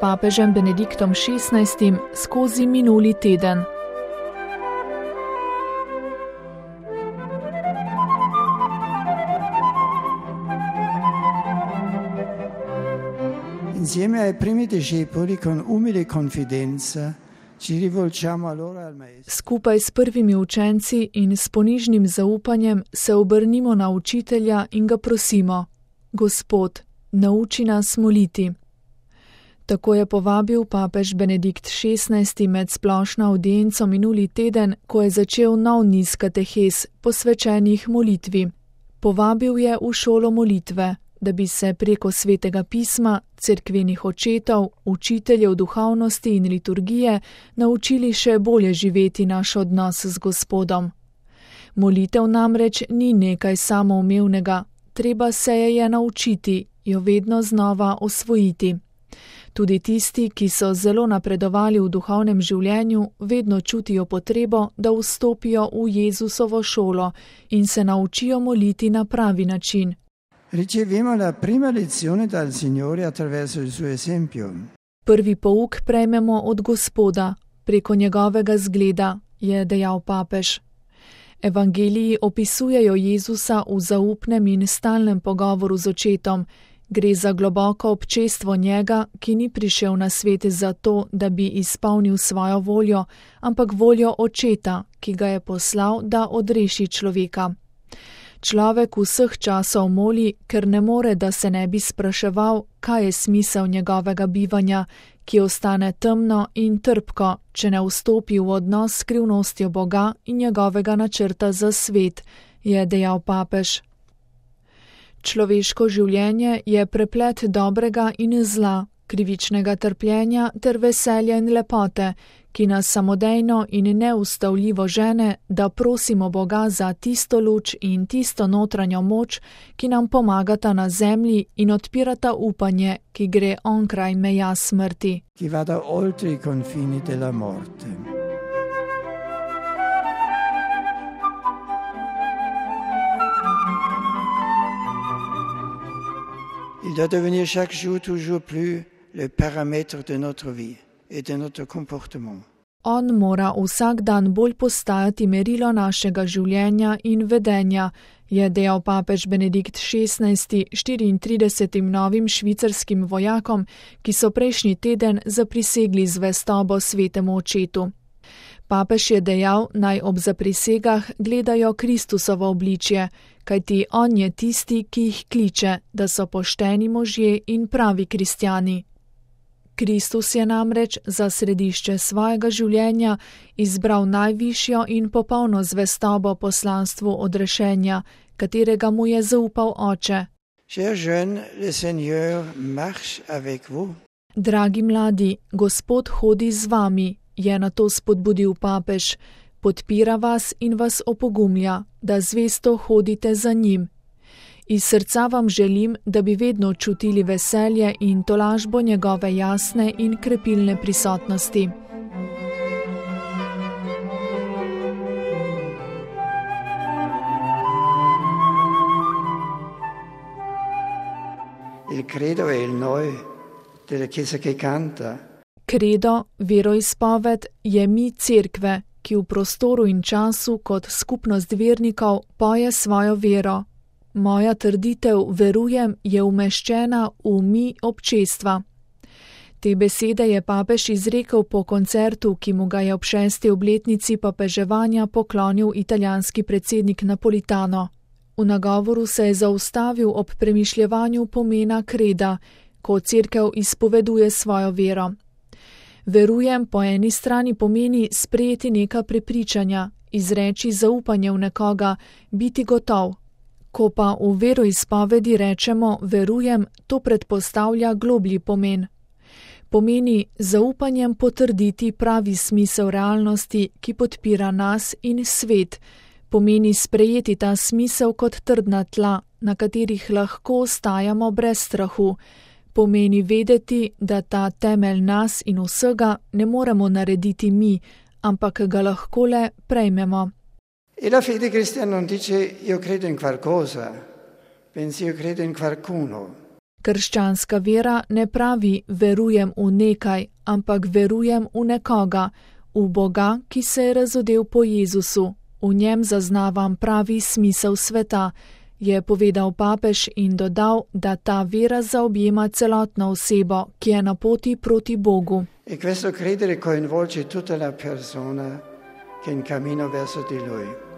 papežem Benediktom XVI skozi minuli teden. Insieme ai primi discepoli con umile confidenza ci rivolgiamo allora al Maestro. Skupaj s prvimi učenci in s ponižnim zaupanjem se obrnimo na učitelja in ga prosimo: Gospod, nauči nas moliti. Tako je povabil papež Benedikt XVI med splošno avdienco minuli teden, ko je začel nov niz katehes, posvečenih molitvi. Povabil je v šolo molitve, da bi se preko svetega pisma, cerkvenih očetov, učiteljev duhovnosti in liturgije naučili še bolje živeti naš odnos z Gospodom. Molitev namreč ni nekaj samoumevnega, treba se je naučiti, jo vedno znova osvojiti. Tudi tisti, ki so zelo napredovali v duhovnem življenju, vedno čutijo potrebo, da vstopijo v Jezusovo šolo in se naučijo moliti na pravi način. Riceviamo la prima lezione dal Signore attraverso il suo esempio. Prvi pouk prejmemo od Gospoda, preko njegovega zgleda, je dejal papež. Evangeliji opisujejo Jezusa v zaupnem in stalnem pogovoru z očetom. Gre za globoko občestvo njega, ki ni prišel na svet zato, da bi izpolnil svojo voljo, ampak voljo očeta, ki ga je poslal, da odreši človeka. Človek vseh časov moli, ker ne more, da se ne bi spraševal, kaj je smisel njegovega bivanja, ki ostane temno in trpko, če ne vstopi v odnos s skrivnostjo Boga in njegovega načrta za svet, je dejal papež. Človeško življenje je preplet dobrega in zla, krivičnega trpljenja ter veselja in lepote, ki nas samodejno in neustavljivo žene, da prosimo Boga za tisto luč in tisto notranjo moč, ki nam pomagata na zemlji in odpirata upanje, ki gre onkraj meja smrti. Che vada oltre I confini della morte. Il doit devenir chaque jour toujours plus le paramètre de notre vie et de notre comportement. On mora vsak dan bolj postajati merilo našega življenja in vedenja, je dejal papež Benedikt XVI 34 novim švicarskim vojakom, ki so prejšnji teden zaprisegli zvestobo svetemu očetu. Papež je dejal, naj ob zaprisegah gledajo Kristusovo obličje, kajti on je tisti, ki jih kliče, da so pošteni možje in pravi kristjani. Kristus je namreč za središče svojega življenja izbral najvišjo in popolno zvestobo poslanstvu odrešenja, katerega mu je zaupal Oče. Dragi mladi, Gospod hodi z vami, je na to spodbudil papež, podpira vas in vas opogumlja, da zvesto hodite za njim. Iz srca vam želim, da bi vedno čutili veselje in tolažbo njegove jasne in krepilne prisotnosti. Il credo è il noi della Chiesa che canta. Kredo, veroizpoved, je mi cerkve, ki v prostoru in času kot skupnost vernikov poje svojo vero. Moja trditev, verujem, je umeščena v mi občestva. Te besede je papež izrekel po koncertu, ki mu ga je ob 6. obletnici papeževanja poklonil italijanski predsednik Napolitano. V nagovoru se je zaustavil ob premišljevanju pomena kreda, ko cerkev izpoveduje svojo vero. Verujem po eni strani pomeni sprejeti neka prepričanja, izreči zaupanje v nekoga, biti gotov. Ko pa v veroizpovedi rečemo verujem, to predpostavlja globlji pomen. Pomeni zaupanjem potrditi pravi smisel realnosti, ki podpira nas in svet. Pomeni sprejeti ta smisel kot trdna tla, na katerih lahko ostajamo brez strahu. Pomeni vedeti, da ta temelj nas in vsega ne moremo narediti mi, ampak ga lahko le prejmemo. E la fede cristiana non dice io credo in qualcosa, pensi io credo in qualcuno. Krščanska vera ne pravi verujem v nekaj, ampak verujem v nekoga, v Boga, ki se je razodel po Jezusu. V njem zaznavam pravi smisel sveta, je povedal papež in dodal, da ta vera zaobjema celotno osebo, ki je na poti proti Bogu. E questo credere coinvolge tutta la persona che è in cammino verso di Lui.